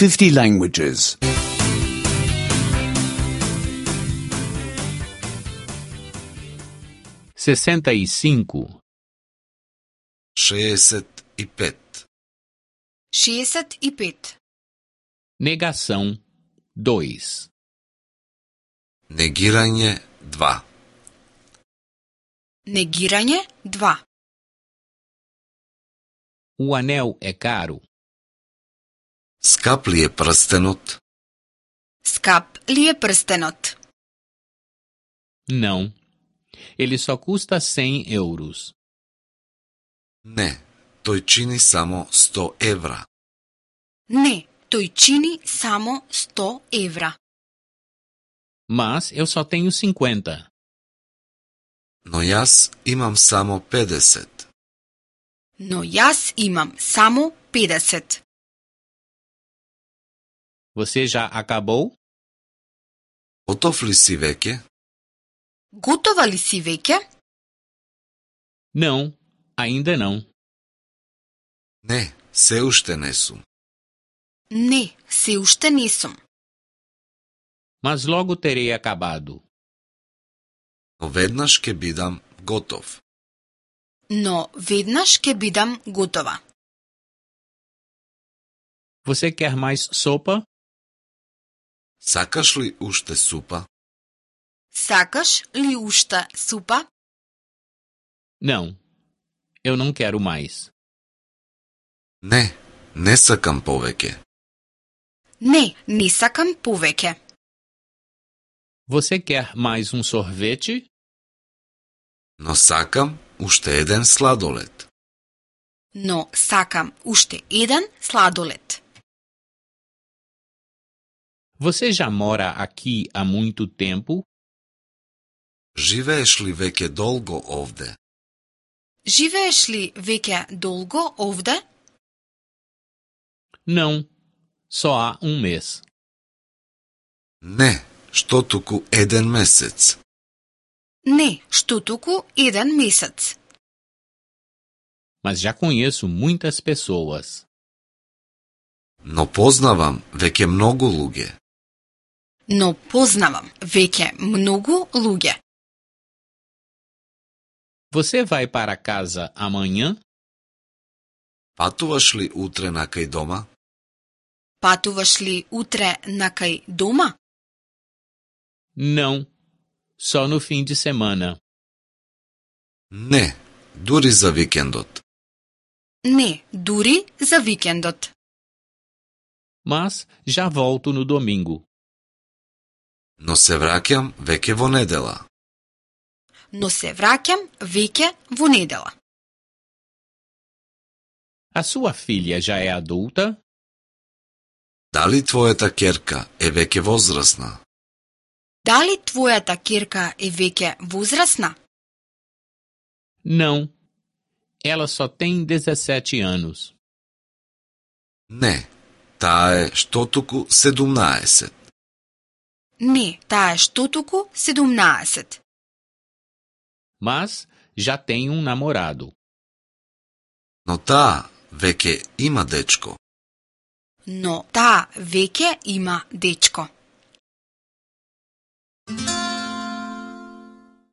50 languages. 65. 65. 65. Negação 2. Негирање 2. Негирање 2. O anel é caro? Скап ли е прстенот? Скап ли е прстенот? Não. Ele só custa 100 euros. Не, тој чини само 100 евра. Не, тој чини само 100 евра. Mas eu só tenho 50. Но јас имам само 50. Но јас имам само 50. Você já acabou? Готов ли си веќе? Готова ли си веќе? Não, ainda não. Не, се уште не сум. Не, се уште не сум. Mas logo terei acabado. Но веднаш ќе бидам готов. Но веднаш ќе бидам готова. Você quer mais sopa? Сакаш ли уште супа? Сакаш ли уште супа? Não, eu não quero mais. Не, не сакам повеќе. Не, не сакам повеќе. Você quer mais um sorvete? Но сакам уште еден сладолед. Но сакам уште еден сладолед. Você já mora aqui há muito tempo? Живееш ли веќе долго овде? Живееш ли веќе долго овде? Não, só há mês. Не, што туку еден месец. Не, што туку еден месец. Mas já conheço muitas pessoas. Но познавам веќе многу луѓе. Но познавам веќе многу луѓе. Você vai para casa amanhã? Патуваш ли утре накај дома? Патуваш ли утре накај дома? Não, só no fim de semana. Не, дури за викендот. Не, дури за викендот. Mas já volto no domingo. Но се враќам веќе во недела. Но се враќам веќе во недела. A sua filha já é adulta? Дали твојата ќерка е веќе возрасна? Дали твојата ќерка е веќе возрасна? Não, ela só tem 17 anos. Не, таа е штотуку 17. Не, таа е штотуку 17. Mas já tem um namorado. Но таа веќе има дечко. Но таа веќе има дечко.